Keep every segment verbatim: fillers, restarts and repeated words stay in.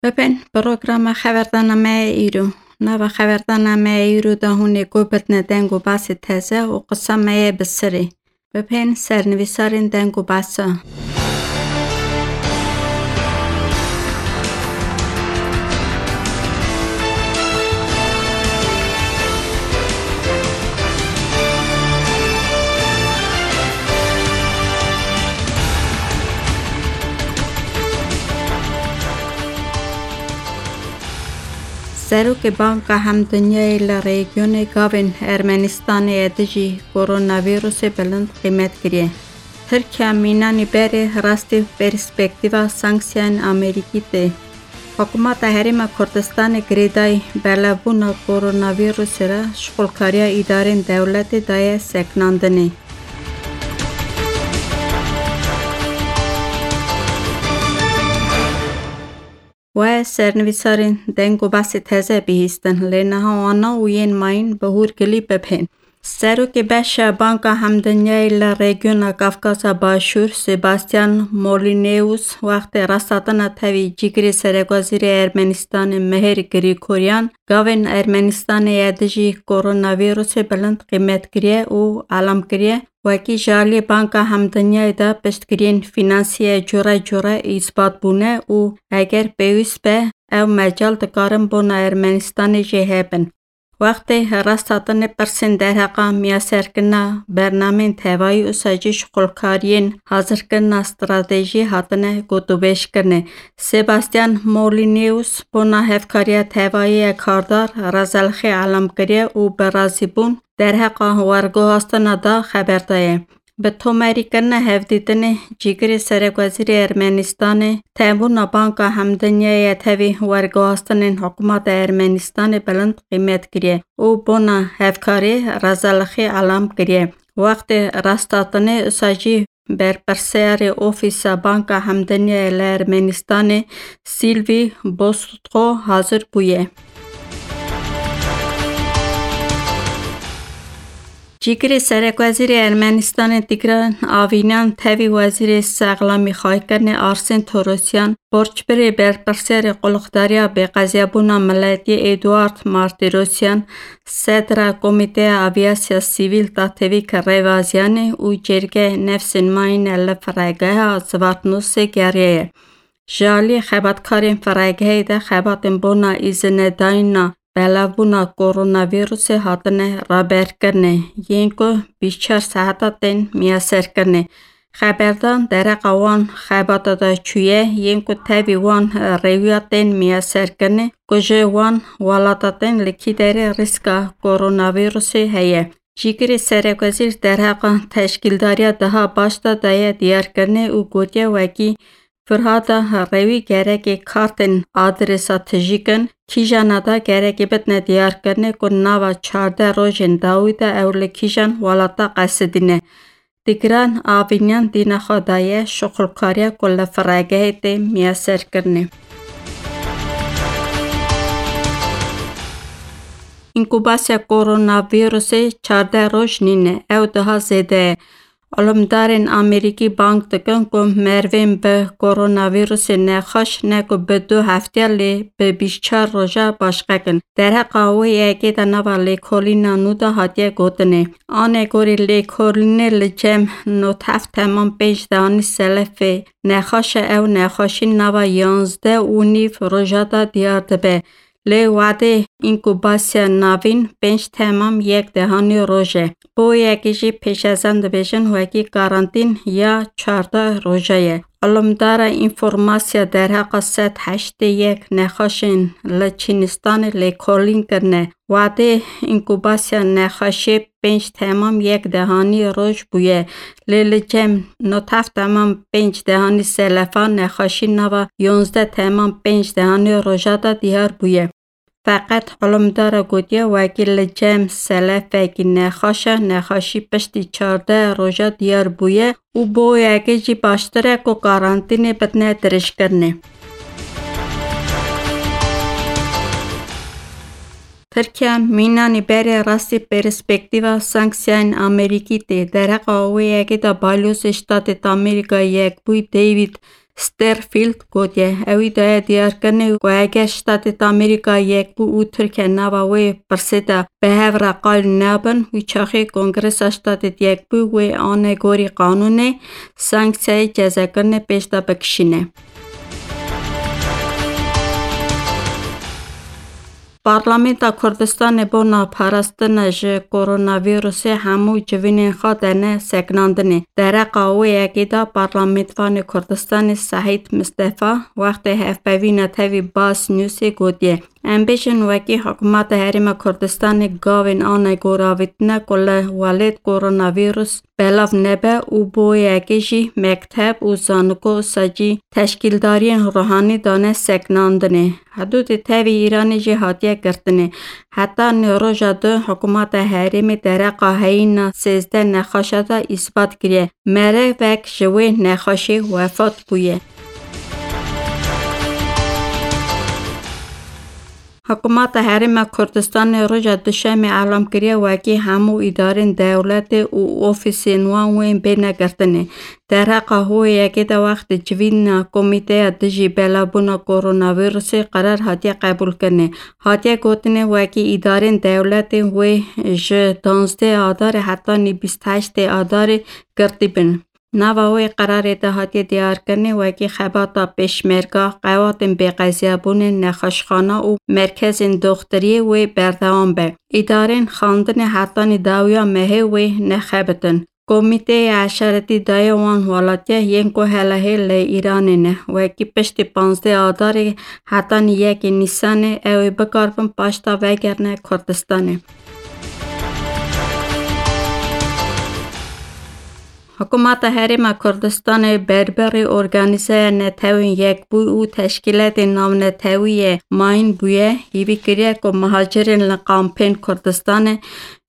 Bibên programa xeberdana me ya îro. Nava xeberdana me ya îro de hûn ê guh bidine deng û basê teze û qisa me yê bi sirê. Bibên sernivîsarên deng û basa. Serokê Banka Hemdinyayê li rejîyonê gavên Ermenistanê ya dijî koronavîrusê bilind qîmet kiriye. Tirkiye mînanî berê rastî perspektîva sanksiyên Amerîkî tê. Hikûmeta Herêma Kurdistanê girêdayî belebûna koronavîrusê re şixulkariya îdarên dewletê daye sekinandinê. We sernivîsarên deng û basê teze bihîstin, lê niha wana û yên mayîn bi hûrgilî bibhên. Serokê Beşa Banka Hemdinyayê li rejîyona Kafkasa Başûr, Sebastian Molyneux, wextê rasthatina tevî cîgirê serekwezîrê Ermenistanê Mihir Grigoryan, gavên Ermenistanê ya dijî koronavîrusê bilind qîmet kiriye û elam kiriye, wekî ji aliyê Banka Hemdinyayê de piştgiriyên fînansî yê cure cure îsbat bûne û eger pêwîst be, ew mecal dikarin bona Ermenistanê jî hebin. Wextê rasthatinê pirsên derheqa miyaserkirina bernameyên tevayî û sajî şixulkariyên hazirkirina stratejî hatine gotûbêjkirinê. Sebastian Molyneux bona hevkariya tevayî ya kardar razalixê elam kiriye û bi razîbûn derheqa werguhastina da xeber daye. Bi tomarîkirina hevdîtinê, cîgirê serekwezîrê Ermenistanê tevbûna Banka Hemdinyayê ya tevî werguhastinên hikûmeta Ermenistanê bilind qîmet kiriye û bona hevkarê razalixê elam kiriye. Wextê rasthatinê usa jî berpirsiyarê Ofîsa Banka Hemdinyayê li Ermenistanê Sylvie Bostutko hazir bûye. Cîgirê serekwezîrê Ermenistanê Tigran Avînyan tevî wezîrê sexlamî xwaykirinê Arsên Torosyan, borçbirê berpirsiyarê Qulixdariya Bêqeziyabûna Miletî Eduard Martirosyan, sedra Komîteya Avîyasya Sivîl Tatevîk Rêvazyanê û cêrgê nefsên mayîne li firegeha Zvartnosê geriyaye. Ji alî xebatkarên firegehê de xebatên bona îzinedayîna belevbûna koronavîrusê hatine raberkirinê, yên ku bîst çar saeta tên miyaserkirinê. Xeberdan dereqa wan xebata de çûye, yên ku tevî wan rêwiya tên miyaserkirinê, ku ji wan welata tên li kî derê rîska koronavîrusê heye. Cîgirê serekwezîr derheqa teşkîldariya daha baş de daye diyarkirinê û gotiye wekî Firhata rewî gerekê kartên adresa tijî kin, kîjana da gerekê bitine diyarkirinê ku nava çardeh rojên dawî de ew li kîjan welata qesidîne. Tigran Avînyan dîna xwe daye şixulkariya ku li firegehê tê miyaserkirinê. Înkubasiya koronavîrusê çardeh roj nîne, ew daha zêde ye. Îlimdarên Amerîkî bang dikin ku merivên bi koronavîrusê nexweş ne ku bi du heftiya lê bi bîst çar roja başqe kin. Derheqa wê yekê de nava lêkolîna nû de hatiye gotinê. Anegorî lêkolînê li cem nod heft temam pênc dehanî selefê nexweş e, ew nexweşî nava yanzdeh û nîv roja de diyar dibe. Lê wadê înkubasiya navîn pênc temam yek dehanî roj e. Bo yekê jî pêşezen dibêjin wekî karantîn ya çardeh roja ye. Îlimdara înformasiya derheqa sed heştê yek nexweşên li Çînistanê lêkolîn kirine. Wadê înkubasiya nexweşê pênc temam yek dehanî roj bûye. Lê li cem nod heft temam pênc dehanî selefa nexweşî nava yanzdeh temam pênc dehanî roja de diyar bûye. Feqet îlimdara gotiye, wekî li cem selefekî nexweş e, nexweşî piştî çardeh roja diyar bûye û bo yekê jî baştir e ku karantînê bidine dirêjkirinê. Tirkiye mînanî berê rastî perspektîva sanksiyayên Amerîkî tê. Derheqa wê yekê de Balyozê Ştatê Amerîka Yekbûyî David Sterfield gotiye. Ewî daye diyarkirinê ku eger Ştatê Amerîka Yekbû û Tirkiye nava wê pirsê de bi hev re qal nebin, wî çaxê Kongresa Ştatê Yekbû wê ane gorî qanûnê sanksiyayê cezakirinê pêş de bikişîne. Parlamenta Kurdistanê bona parastina ji koronavîrusê hemû civînên xwe dene sekinandinê. Dereqa wê yekê de Parlamenvanê Kurdistanê Sehîd Mistefa wextê hevpeyvîna tevî Bas Newsê gotiye, em bêjin wekî Hikûmeta Herêma Kurdistanê gavên ane goravîtine ku li welêt koronavîrus belav nebe û bo yekê jî mekteb û zaniko sacî teşkîldariyên ruhanî dane sekinandinê. Hidûdê tevî Îranê jî hatiye girtinê. Heta nê roja du hikûmeta herêmê dereqa heyîna sêzdeh nexweşa de îsbat kiriye. Merivek ji wê nexweşê wefat bûye. Hikûmeta Herêma Kurdistanê roja Duşemê elam kiriye wekî hemû îdarên dewletê û ofîsên wan wên bêne girtinê. Derheqa wê yekê de wextê civîna Komîteya Dijî Belavbûna Koronavîrusê qerar hatiye qebûlkirinê. Hatiye gotinê wekî îdarên dewletê wê ji danzdeh Adarê hetanî bîst heştê Adarê girtî bin. Nava wê qerarê de hatiye diyarkirinê wekî xebata pêşmerga, qewatên bêqeziyabûnê, nexweşxana û merkezên doxtiriyê wê berdewam be. Îdarên xandinê hetanî dawiya mehê wê nexebitin. Komîteyê eşaretî daye wan welatiya yên ku helahê li Îranê ne, wekî piştî panzdeh Adarê hetanî yekê Nîsanê ew ê bikaribin paşta vegerine Kurdistanê. Hikûmeta Herêma Kurdistanê berberî organîzeya Netewên Yekbûyî û teşkîletên navnetewî yê mayîn bûye, hîvî kiriye ku muhacirên li kampên Kurdistanê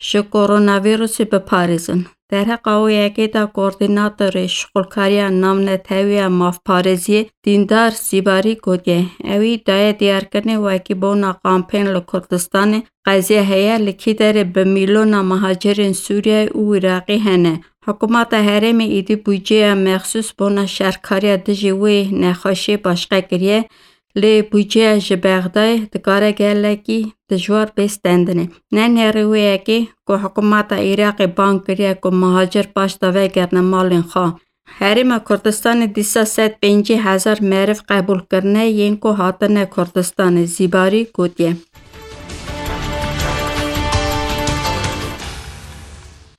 ji koronavîrusê biparêzin. Derheqa wê yekê de koordînatorê şixulkariya navnetewî ya mafparêziyê Dîndar Zîbarî gotiye, ewî daye diyarkirinê wekî bona kampên li Kurdistanê qeziya heye, li kî derê bi mîlyona muhacirên Sûriyeyê û Iraqî hene. Hikûmeta herêmê êdî budceya mexsûs bona şerkariya dijî wê nexweşiyê başqe kiriye, lê budceya ji Bexdayê dikare gelekî dijwar bê stendinê. Nenêrî wê yekê ku hikûmeta Iraqê bang kiriye ku muhacir paşta vegerine malên xwe. Herêma Kurdistanê dîsa sed pêncî hezar meriv qebûl kirine yên ku hatine Kurdistanê, Zîbarî gotiye.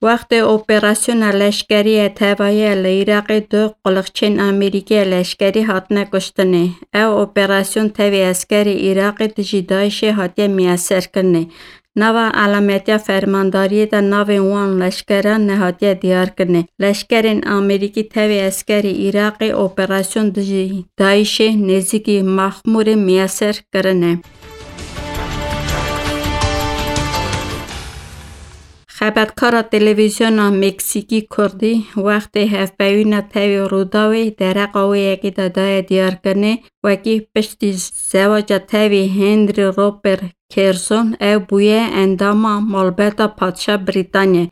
Wextê operasyona leşkerî ya tevayî ya li Iraqê du quliqçên Amerîkî ya leşkerî hatine kuştinê. Ew operasyon tevî eskerê Iraqê dijî DAIŞê hatiye miyeserkirinê. Nava elametiya fermandariyê de navên wan leşkeran nehatiye diyarkirinê. Leşkerên Amerîkî tevî eskerê Iraqê operasyon dijî DAIŞê nêzîkî Maxmûrê miyeser kirine. Xebatkara televîzyona Meksîkî Kurdî wextê hevpeyvîna tevî Rûdawê dereqa wê yekê de daye diyarkirinê, wekî piştî zewaca tevî Henry Robert Kerzon ew bûye endama malbata padşa Brîtanyayê.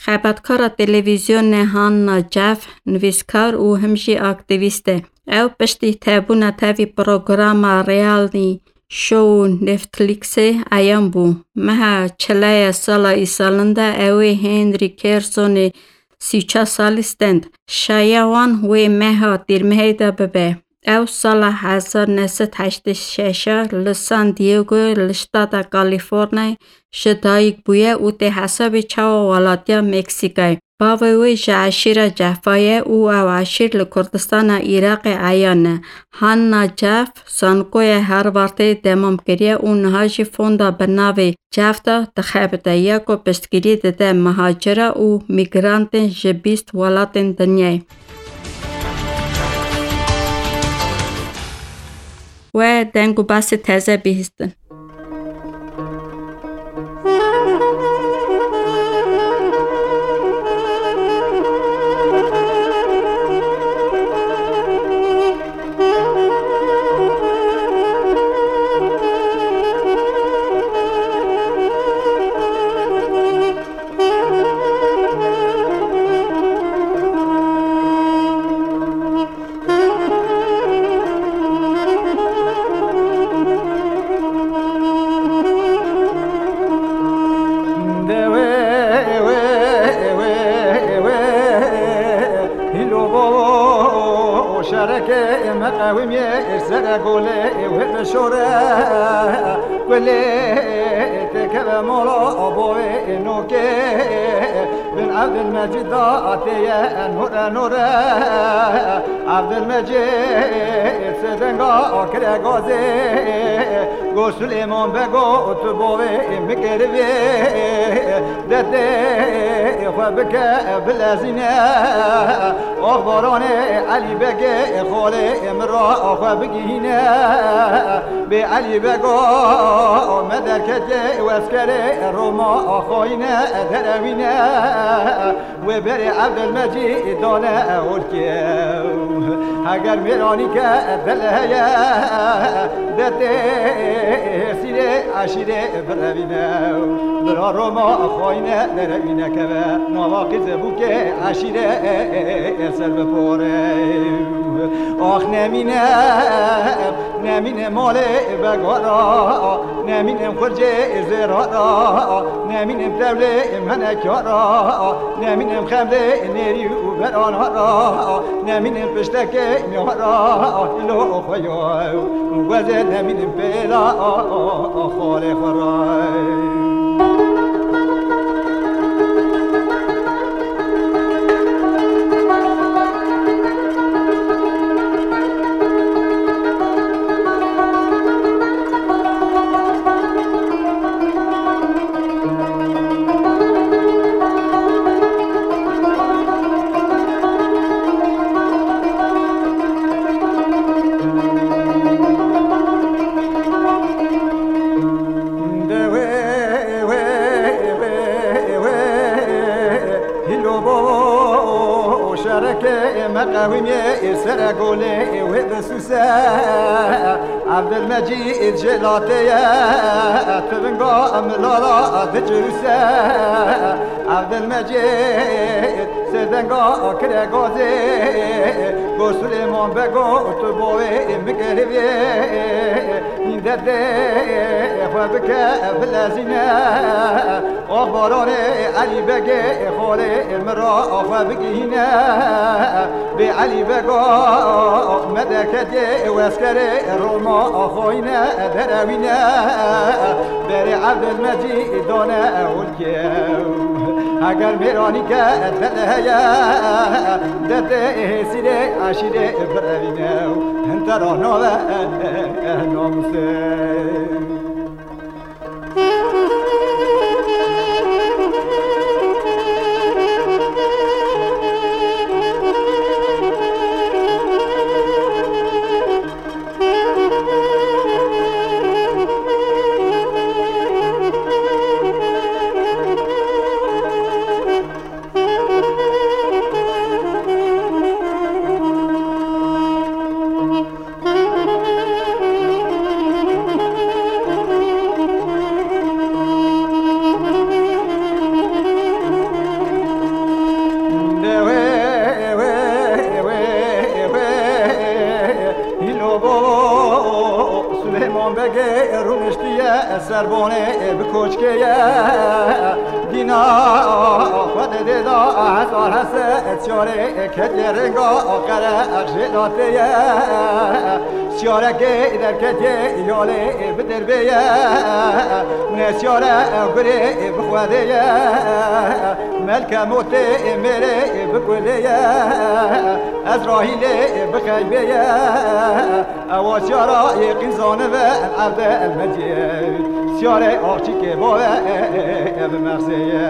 Xebatkara televîzyonê Hanna Jeff nivîskar û him jî aktîvîst e. Ew piştî tevbûna tevî programa reality show Netflixê eyan bû. Meha çilaya sala îsalin de ew ê Henry Kerzonê sî û çar salî stend. Şaya wan wê meha tîrmehê de bibe. Ew sala hezar neh sed heştê şeş a li San Diego li ştata Kalîforniyayê ji dayik bûye û tê hesabê çawa welatiya Meksîkayê. Bavê wê ji eşîra Cefa ye û ew eşîr li Kurdistana Iraqê eyan e. Hanna Jeff zankoya Harvardê demam kiriye û niha jî fonda bi navê Jeff de dixebite ya ku piştgirî dide mihacira û mîgrantên ji bîst welatên dinyayê. We deng û basê teze bihîstin. Bişore kulê têkeve mola bovê nokê. Bin Evdil Mecîd da têye nore nore. Evdil Mecîd sêdenga kire gazê. Go Sulêman Bego tu bovê mikerivê. Detê xwe bike bilezîne. Axbaranê Elî Begê xalê min ra xwe bigihîne. Bê Elî Bego me derketê weskerê Roma xayîne derewîne. Wê berê Evdil Mecîd dane holkê. Heger mêranî ke dil heye, detê hêrsîrê eşîrê birevîne. Bira Roma xayîne derevîne keve. Nava qîzê bûkê eşîrê ser bipore. Ax nemîne, nemîne malê begara, nemîne xurcê zêrara, nemîne tevlê menekara, nemîne xemlê nêrî û beranara, nemîne piştekê miyara, îlo xwe yo, wezê nemîne pêla xalê xwe ra. De wê, wê, wê, wê, hîlo bo şerekê me qewîmê sere golê wê bisûse. Evdil Mecîd jêlatê ye, tivinga milala dicirûse. Evdil Mecîd sêdenga kire gazê. Go Sulêman Bego tu bo wê mikerivê. Nîndetê xwe bike bilezîne. Axbaranê Elî Begê xalê min ra xwe bigihîne. Bê Elî Bego me derketê weskerê Roma xayîne derewîne. Berê Evdil Mecîd dane holkê. Heger mêranî ke dil heye, detê hêrsîrê eşîrê birevîne. Hintera nave namusê. De wê, wê, wê, wê, hîlo bo Suleyman Begê rûniştiye ser bonê bi koçkê ye. Dîna xwe didê da hezar hese çarê ketiye rênga qere jêlatê ye. Çarekê derketiye yalê bi derbê ye. Ne çare gurê bi xwedê ye. Melke motê mêrê bi kulê ye. Ezrahîlê bi xeybê ye. Ewa çara yê qîzanive evde elmecê. Çare axçîkê bave ev mersê ye.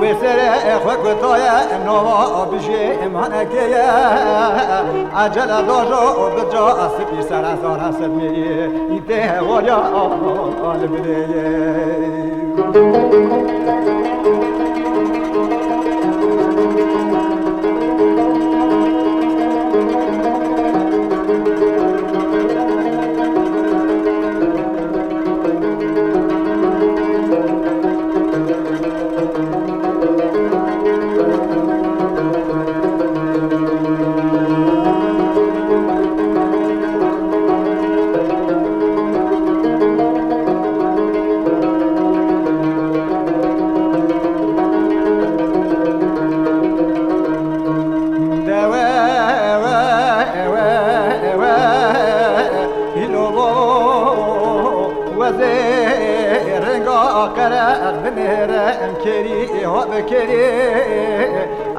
Wê serê xwe kutaye nava bijê manekê ye. Ecele dajo bica sipî sere zara sedmê ye. Tê hewaliya li birê ye. Qereq binêre em kêrî ha bi kêrî.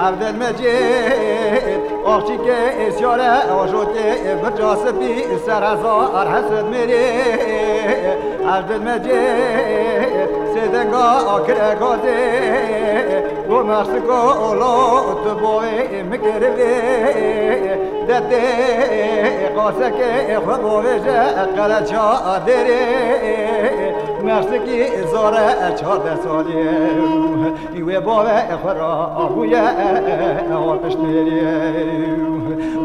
Evdil Mecîd axçîkê êsyare ajotê birca spî ser hezar hesed mêrî. Evdil Mecîd sêdenga akire gazê. Go mersiko olo tu boyê mikirivê. Detê qasekê xwe bovêje qeleça derê. Mersikî zore çardeh salî. Wê bavê xwe ra bûye ewa piştêrî.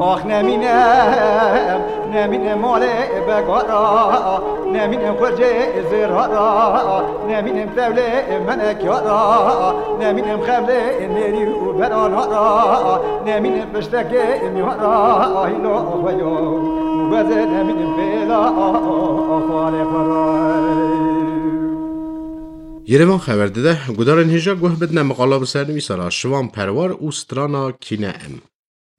Ax nemîne, nemîne malê begara, nemîne xurcê zêrara, nemîne tevlê menekara, nemîne xevlê nêrî û beranara, nemîne piştekê mîhara, hîna xwe yo, û bezê nemîne pêla xalê xwe ra. Yerevan xeber dide, gudarên hêja guh bidine miqala bi sernivîsara Şivan Perwar û strana Kîne Em.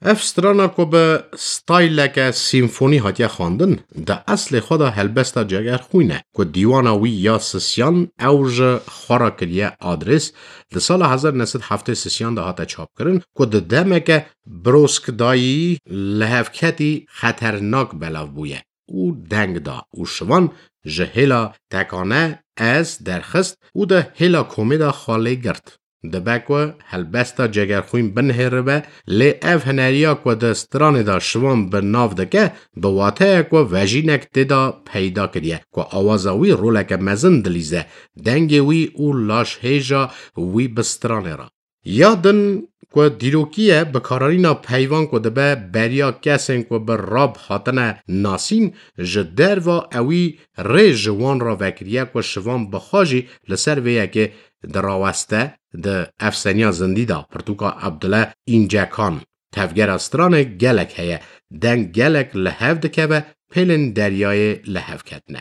Ev strana ku bi stayleke sîmfonî hatiye xwendin, di eslê xwe de helbesta Cegerxwîn e, ku dîwana wî ya sisiyan ew ji xwe re kiriye adres, di sala hezar neh sed heftê sisiyan de hate çapkirin, ku di demeke birozkdayî lihevketî xeternak belav bûye û deng da û Şivan ji hêla tekane ez derxist û di hêla komê de xwe lê girt. Dibe ku helbesta Cegerxwîn binihêribe, lê ev hineriya ku di stranê de Şivan bi nav dike, bi wateya ku vejînek tê de peyda kiriye, ku awaza wî roleke mezin dilîze, dengê wî û laşhêja wî bi stranê re. Ya din ku dîrokî ye, bikaranîna peyvan ku dibe beriya kesên ku bi rap hatine nasîn, ji derva ewî rê ji wan re vekiriye ku Şivan bi xwe jî li ser vê yekê diraweste, di Efseniya Zindî de pirtûka Abdule Încekan. Tevgera stranê gelek heye, deng gelek li hev dikeve, pêlên deryayê li hev ketine.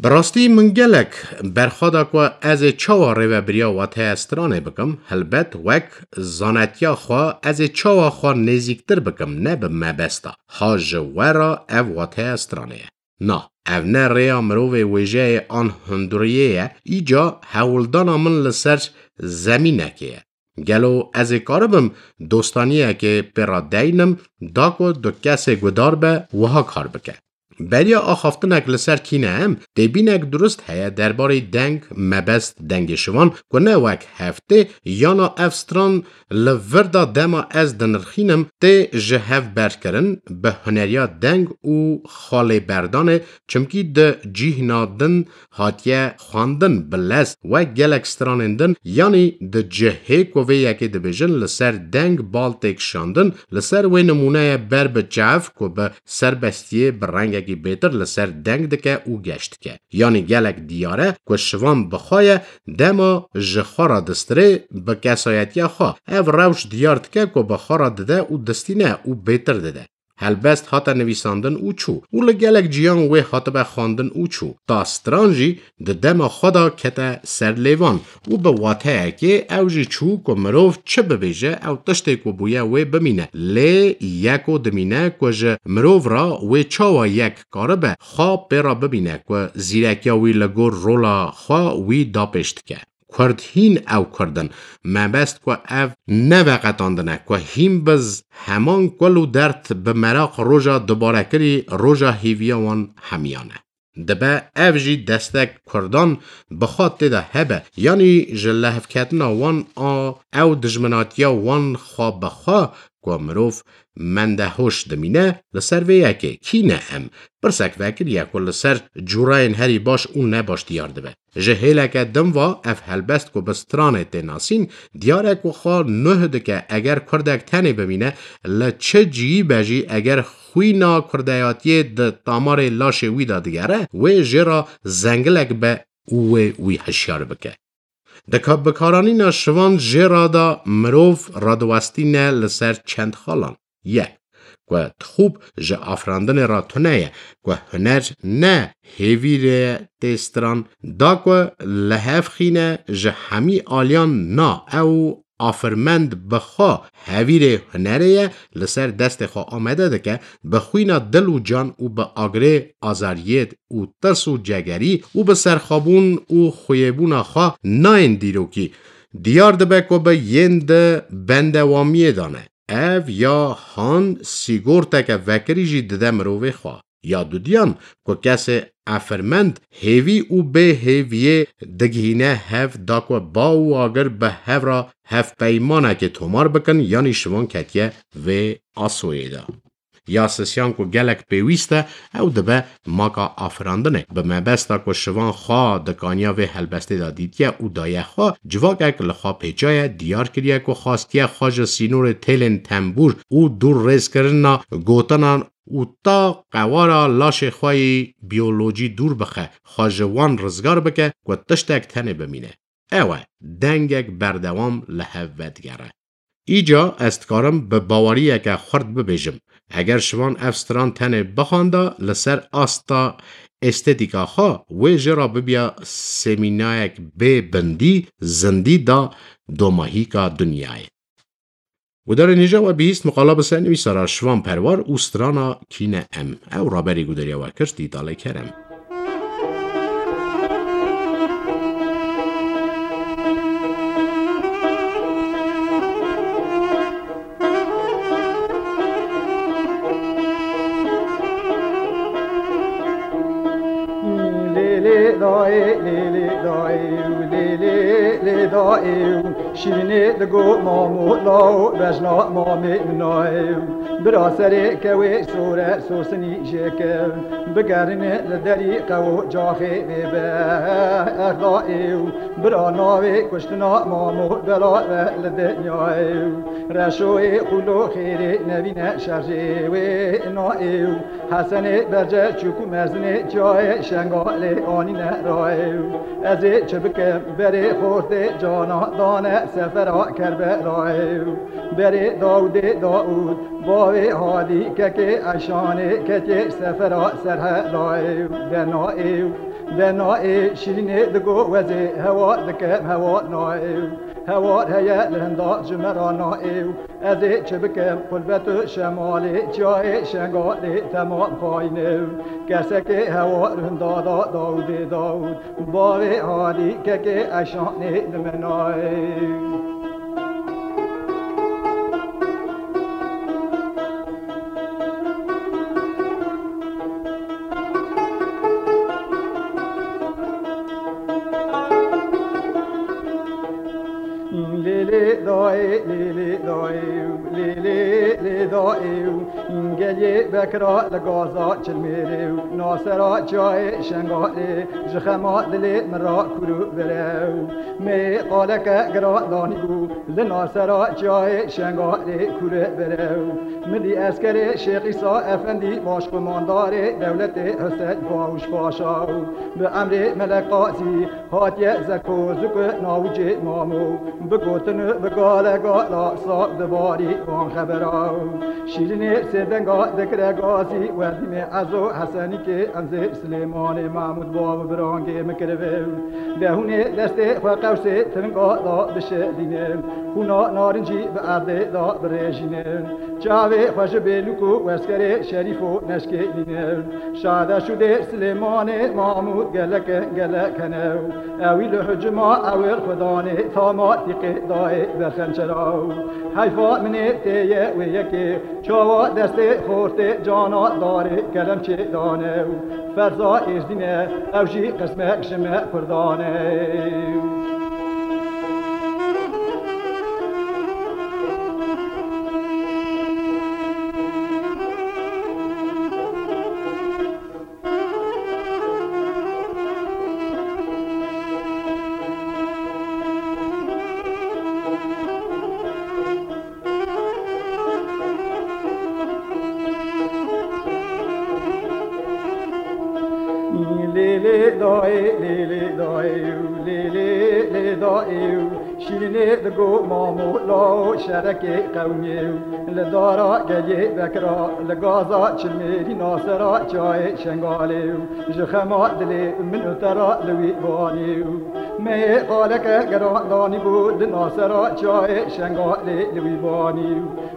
Bi rastî min gelek berxwe da ku ez ê çawa rêvebiriya wateya stranê bikim, helbet wek zanetiya xwe ez ê çawa xwe nêzîktir bikim, ne bi mebesta. Ha ji we re ev wateya stranê ye. Na, ev ne rêya mirovê wêjeyê an hunduriyê ye, îca hewldana min li ser zemînekê ye. Gelo ez ê karibim dostaniyekê pê re deynim, da ku du kesê gudar be wiha kar bike? Beriya axaftinek li ser Kîne Em, têbînek durist heye derbarê deng, mebest, dengê Şivan, ku ne wek hev tê, yana ev stran li vir de dema ez dinirxînim, tê ji hev berkirin, bi huneriya deng û xalêberdanê, çimkî di cîhna din hatiye xwendin bi lez, wek gelek stranên din, yanî di cihê ku vê yekê dibêjin, li ser deng bal tê kişandin, li ser wê nimûneye ber bi çav ku bi serbestiyê, bi rengekî bêtir li ser deng dike û geş dike. Yanî gelek diyar e ku Şivan bi xwe ye, dema ji xwe re distirê, bi kesayetiya xwe. Ev rewş diyar dike ku bi xwe re dide û distîne û bêtir dide. Helbest hate nivîsandin û çû û li gelek ciyan wê hatibe xwendin û çû. Ta stran jî di dema xwe de kete ser lêvan û bi wateyekê ew jî çû ku mirov çi bibêje, ew tiştê ku bûye wê bimîne. Lê yeko dimîne ku ji mirov re wê çawa yek karibe xwe pê re bibîne ku zîrekiya wî li gor rola xwe wî dapêş dike. Kurd hîn ew Kurd in. Mebest ku ev ne veqetandin e, ku hîn bi z-, heman kul û dert bi meraq roja dubarekirî, roja hêviya wan hemiyan e. Dibe ev jî destek Kurdan bi xwe tê de hebe, yanî ji lihevketina wan a ew dijminatiya wan xwe bi xwe ku mirov mendehoş dimîne, li ser vê yekê Kîne Em pirsek vekiriye ku li ser cûreyên herî baş û nebaş diyar dibe. Ji hêleke din ve ev helbest ku bi stranê tê nasîn, diyar e ku xwe nuh dike, eger kurdek tenê bimîne, li çi cihî be jî, eger xwîna kurdeyatiyê di tamarê laşê wî de digere, wê jê re zengilek be û wê wî hişyar bike. Di ka-, bikaranîna Şivan jê re de mirov radiwestîne li ser çend xalan. Yek, ku dixûb ji afirandinê re tune ye, ku huner ne hêvîrê tê stran, da ku li hev xîne ji hemî aliyan na ew afirmend bi xwe hevîrê hunerê ye, li ser destê xwe amede dike, bi xwîna dil û can û bi agirê azariyêt û tirs û cegerî û bi serxwebûn û xuyêbûna xwe nayên dîrokî. Diyar dibe ku bi yên di bendewamiyê de ne. Ev ya han sîgorteke vekirî jî dide mirovê xwe. Ya dudiyan ku kesê efirmend hêvî û bê hêviyê digihîne hev da ku ba û agir bi hev re hevpeymanekê tomar bikin, yanî şivan ketiye vê asoyê de. Ya sisiyan ku gelek pêwîst e, ew dibe maka afirandinê. Bi mebesta ku şivan xwe di kaniya vê helbestê de dîtiye û daye xwe, civakek li xwe pêçaye, diyar kiriye ku xwastiye xwe ji sînorê têlên tembûr û dûr rêzkirina gotinan û ta qewara laşê xwe yî biyolojî dûr bixe, xwe ji wan rizgar bike ku tiştek tenê bimîne. Ew e, dengek berdewam li hev vedigere. Îca ez dikarim bi baweriyeke xurt bibêjim, eger şivan ev stran tenê bixwanda li ser asta estetîka xwe, wê jê re bibiya semînayek bê bindî, zindî da domahîka dinyayê. Gudarên hêja we bihîst miqala bi ser nivîsara Şivan Perwar û strana Kîne Em. Ew raberî gudariya we kir Dîtalê Kerem. Lê lê dayê, lê lê dayê, lê lê lê dayê. Şîrînê digo mamo law, bejna mamê min nayê. Bira serê kewê sore sosinî jêke. Bigerîne li derî qewo caxê vê be. Erdayê. Bira navê kuştina mamo bela ve li dinyayê. Reşoyê xulo xêrê nevîne şerjê wê nayê. Hesenê berce çûk û mezinê çiyayê Şengalê anîne rayê. Ez ê çi bikim berê xortê cana dane sefera Kerbelayê. Berê Dawdê Dawd, bavê Hadî kekê Eyşanê ketiye sefera Serhelayê. De nayê, de nayê, Şîrînê digo wezê hewa dikim hewa nayê. Hewar heye li hinda ji me re nayê. Ez ê çi bikim, qulbet û şemalê çiyayê Şengalê temam xayîn e. Kesekê hewar hinda da Dawdê Dawd, bavê Hadî kekê Eyşanê li me nayê. Lê lê dayê, lê lê dayê, lê lê lê dayê. Gelê Bekra li gaza Çilmêrê û nasera çiyayê Şengalê ji xema dilê min ra kûr û bire. Me qaleke giran danî bû li nasera çiyayê Şengalê kûr û bire. Min dî eskerê Şêx Îsa Efendî başqumandarê dewletê Husên Pawuş Paşa û bi emrê Melek Qazî hatiye Zeko Ziko navûcê mamo. Bi gotin û bi gale gala saq dibarî wan xebera. Şîrînê sêdenga dikire gazî werdîmê Ezo Hesenîkê em zê Silêmanê Mahmûd bav û birangê min kiribe. De hûnê destê xwe qewsê tinga da bişedîne. Xûna narincî bi erdê da birêjîne. Çavê xwe ji bêlûk û weskerê şerîf û neşkê nîne. Şade şûdê Silêmanê Mahmûd gelek gelek hene. Ewî li hicima ewil xudanê tama tîqê dayê be xençera. Heyfa minê tê ye wê yekê. Çawa destê xortê cana darê kelemçê dane û ferza êzdîne, ew jî qismek ji me Kurdan e. Lê lê dayê, lê lê dayê, lê lê lê dayê. Şîrînê digo mamo lawo şerekê qewmê. Li dara gelê Bekra, li gaza Çilmêrî nasera çiyayê Şengalê. Ji xema dilê min û te ra li wî banê. Meyê xaleke geran danî bû di nasera çiyayê Şengalê li wî banî.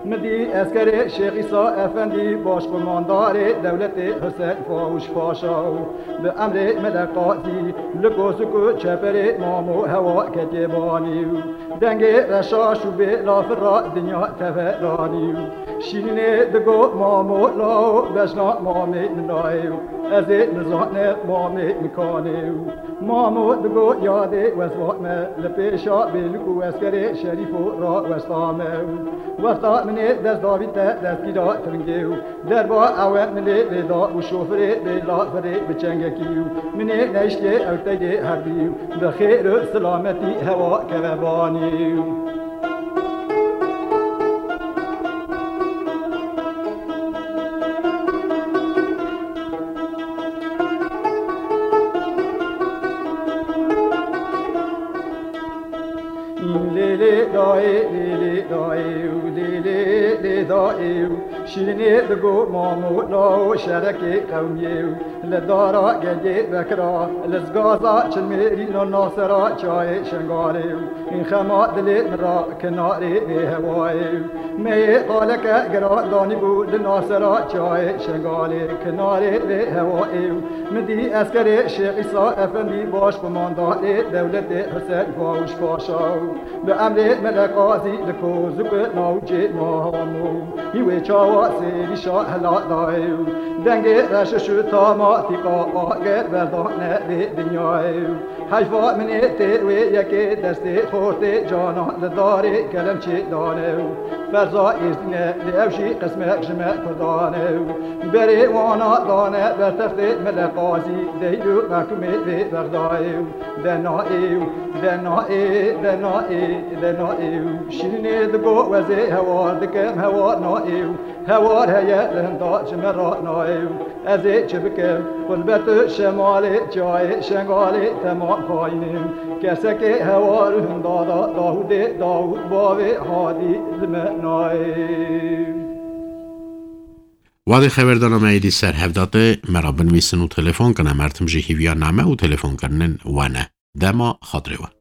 Min dî eskerê Şêx Îsa Efendî, başqumandarê dewletê Husên Fawûş Paşa û bi emrê Mele Qazî li kozik û çeperê Mamo Hewa ketiye banî. Dengê reşaş û bê lafira dinya teveranî. Şîrînê digo Mamo Lao, bejna mamê min nayê û ez ê nizanim mamê min kanê û Mamo digo yadê wezvat me, li pêşa bêlik û eskerê şerîf û rawesta me û wexta min ê dest davî te destgîra tiringê û derba ewe min ê lêda û şofirê bê lafirê bi çengekî û min ê neyştê ew teydê herbî û bi xêr û silametî hewa keve banî û Lê lê dayê, lê lê dayê û lê lê lê dayê û Şîrînê digo Mamo Lao, şerekê qewmiyê û li dara gengê vekira, li zgaza çilmêrî nasera çiyayê Şengalê û xema dilê min ra kinarê vê hewayê û meyê qaleke giran danî bû di nasera çiyayê Şengalê, kinarê vê hewayê û min dî eskerê Şêx Îsa Efendî, başqumandarê dewletê Husên Fawûş Paşa û bi emrê Mele Qazî li kozik û navçê Mamo hî wê çawa sêrîşa hela dayê û dengê reşiş û tamatîka agir berdane vê dinyayê û heyfa min ê tê wê yekê destê xortê canan li darê kelemçê dane û ferza êzdîne lê ew jî qismek ji me Kurdan e û berê wana dane ber textê Mele Qazî, deyl û mehkumê vê Bexdayê û de naê û de naê, de naê, de naê û Şîrînê digo wezê hewar dikim, hewar naê û hewar heye li hinda ji me ra naê û ez ê çi bikim? Xurbet û şemalê çiyayê Şengalê temam xayînim. Kesekê hewar û hinda da Dawûdê, Dawûd bavê hadî li me naê. Wadê xeberdana me êdî ser hev date, me ra binivîsin û telefon kine. Mertim jî hîviya name û telefonkirinên we ne. Dema xatirê we.